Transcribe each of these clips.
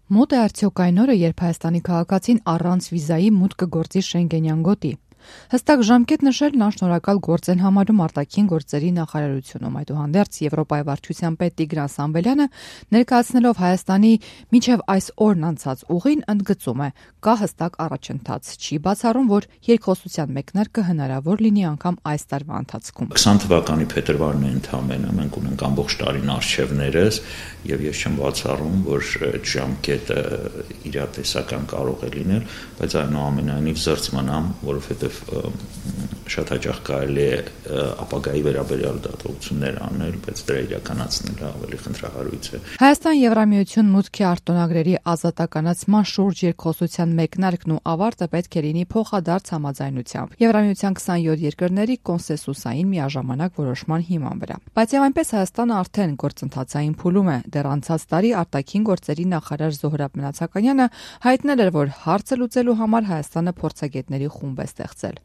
Մոտ է արդյոք այն օրը, երբ Հայաստանի քաղաքացին առանց վիզայի մուտք կգործի Շենգենյան գոտի։ Հստակ ժամկետ նշելն անշնորհակալ գործ են համարում արտաքին գործերի նախարարությունում։ Այդուհանդերձ Եվրոպայի վարչության պետ Տիգրան Սամվելյանը ներկայացնելով Հայաստանի մինչև այս օրն անցած ուղին ընդգծում է, կա հստակ առաջընթաց, չի բացառում, որ երկխոսության մեկնարկը հնարավոր լինի անգամ այս տարվա ընթացքում։ 20 թվականի փետրվարն է ընդամենը, մենք ունենք ամբողջ տարին արխիվներս եւ ես չեմ բացառում, որ այդ ժամկետը իրատեսական կարող է լինել, բայց այնուամենայնիվ զերծ մնամ, որովհետեւ շատ հաճախ կարելի է ապագայի վերաբերյալ դատողություններ անել, բայց դրա իրականացնելը ավելի խնդրահարույց է։ Հայաստան-Եվրամիություն մուտքի արտոնագրերի ազատականացման շուրջ երկխոսության մեկնարկն ու ավարտը պետք է լինի փոխադարձ համաձայնությամբ Եվրամիության 27 երկրների կոնսենսուսային միաժամանակ որոշման հիման վրա։ Բայց եւ այնպես Հայաստանը արդեն գործընթացային փուլում է։ Դեռ անցած տարի արտաքին գործերի նախարար Զոհրաբ Մնացականյանը հայտնել էր, որ հարցը լուծելու համար Հայաստանը փորձագետների խումբ է ստեղծել։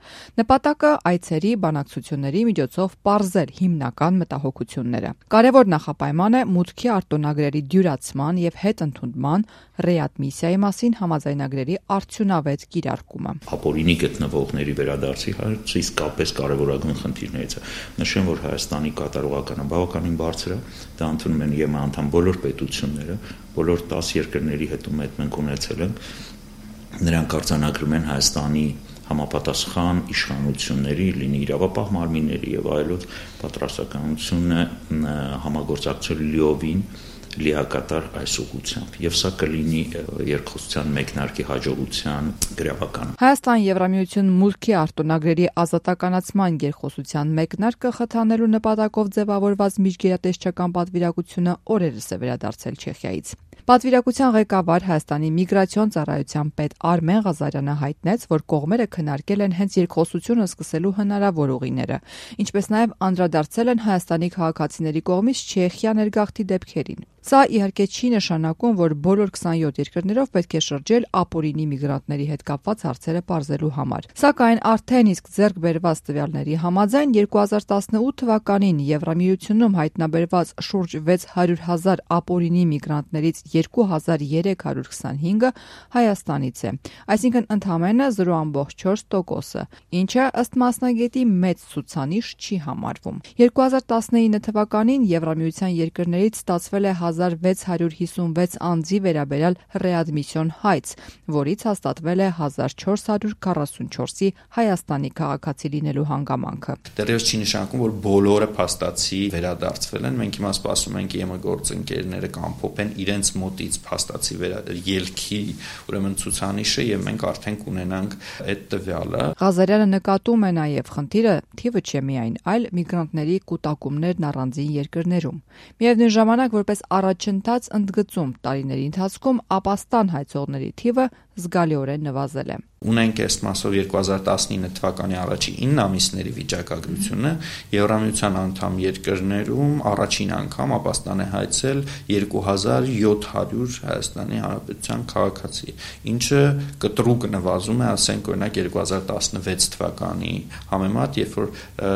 Նպատակը այցերի, բանակցությունների միջոցով պարզել հիմնական մտահոգությունները։ Կարևոր նախապայման է մուտքի արտոնագրերի դյուրացման եւ հետընդունման ռեադմիսիայի մասին համաձայնագրերի արդյունավետ կիրարկումը։ Ապօրինի գտնվողների վերադարձի հարցը իսկապես կարևորագույն խնդիրներից է։ Նշեմ, որ Հայաստանի կատարողականը բավականին բարձր է, դա ընդունում են ԵՄ անդամ բոլոր պետությունները, բոլոր 10 երկրների հետ մենք ունեցել ենք, նրանք արձանագրում են Հայաստանի համապատասխան իշխանությունների, լինի իրավապահ մարմինների եւ այլոց պատրաստականությունը համագործակցել լիովին լիակատար այս ուղղությամբ եւ սա կլինի երկխոսության մեկնարկի հաջողության գրավականը։ Հայաստան-Եվրամիություն մուտքի արտոնագրերի ազատականացման երկխոսության մեկնարկը խթանելու նպատակով ձևավորված միջգերատեսչական պատվիրակությունը օրերս է վերադարձել Չեխիայից։ Պատվիրակության ղեկավար Հայաստանի միգրացիոն ծառայության պետ Արմեն Ղազարյանը հայտնեց, որ կողմերը քննարկել են հենց երկխոսությունը սկսելու հնարավոր ուղիները, ինչպես նաև անդրադարձել են Հայաստանի քաղաքացիների կողմից Չեխիա ներգաղթի դեպքերին։ Սա իհարկե չի նշանակում, որ բոլոր 27 երկրներով պետք է շրջել ապօրինի միգրանտների հետ կապված հարցերը պարզելու համար։ Սակայն արդեն իսկ ձեռք բերված տվյալների համաձայն 2018 թվականին Եվրամիությունում հայտնաբերված շուրջ 600,000 ապօրինի միգրանտներից 2325-ը Հայաստանից է, այսինքն ընդամենը 0.4%, ինչը ըստ մասնագետի մեծ ցուցանիշ չի համարվում։ 2019 թվականին Եվրամիության երկրներից ստացվել է 1656 անձի վերաբերյալ ռեադմիսիոն հայց, որից հաստատվել է 1444-ի Հայաստանի քաղաքացի լինելու հանգամանքը։ Դեռևս չի նշանակում, որ բոլորը փաստացի վերադարձվել են։ Մենք հիմա սպասում ենք ԵՄ գործընկերները կամփոփեն իրենց մոտից փաստացի ելքի ուրեմն ցուցանիշը եւ մենք արդեն կունենանք այդ տվյալը։ Ղազարյանը նկատում է նաեւ խնդիրը թիվը չէ միայն, այլ միգրանտների կուտակումներն առանձին երկրներում։ Միևնույն ժամանակ որպես առաջընթաց ընդգծում տարիների ընթացքում ապաստան հայցողների թիվը զգալիորեն նվազել է։ Ունենք այս մասով 2019 թվականի առաջին 9 ամիսների վիճակագրությունը Եվրամիության անդամ երկրներում առաջին անգամ ապաստան է հայցել 2700 Հայաստանի Հանրապետության քաղաքացի, ինչը կտրուկ նվազում է, ասենք օրինակ 2016 թվականի համեմատ, երբ որ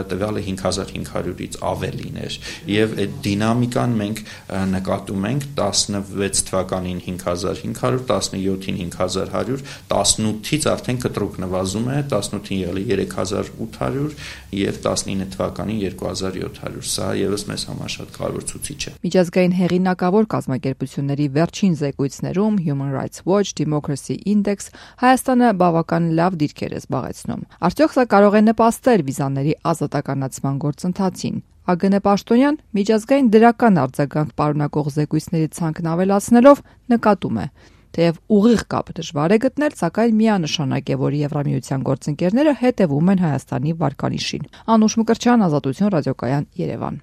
տվյալը 5500-ից ավելին էր, եւ այդ դինամիկան մենք նկատում ենք 16 թվականին 5500, 17-ին 5100, 18-ից արդեն կտրուկ նվազում է, 18-ին եղել է 3800 եւ 19 թվականին 2700։ Սա եւս մեզ համար շատ կարևոր ցուցիչ է։ Միջազգային հեղինակավոր կազմակերպությունների վերջին զեկույցներում Human Rights Watch, Democracy Index Հայաստանը բավական լավ դիրքեր է զբաղեցնում։ Արդյոք սա կարող է նպաստել վիզաների ազատականացման գործընթացին։ ԱԳՆ Պաշտոնյան միջազգային դրական արձագանք պարունակող զեկույցների ցանկն ավելացնելով նկատում է, թեև ուղիղ կապ դժվար է գտնել, սակայն միանշանակ է, որ Եվրամիության գործընկերները հետևում են Հայաստանի վարկանիշին։ Անուշ Մկրտչյան, Ազատություն ռադիոկայան, Երևան։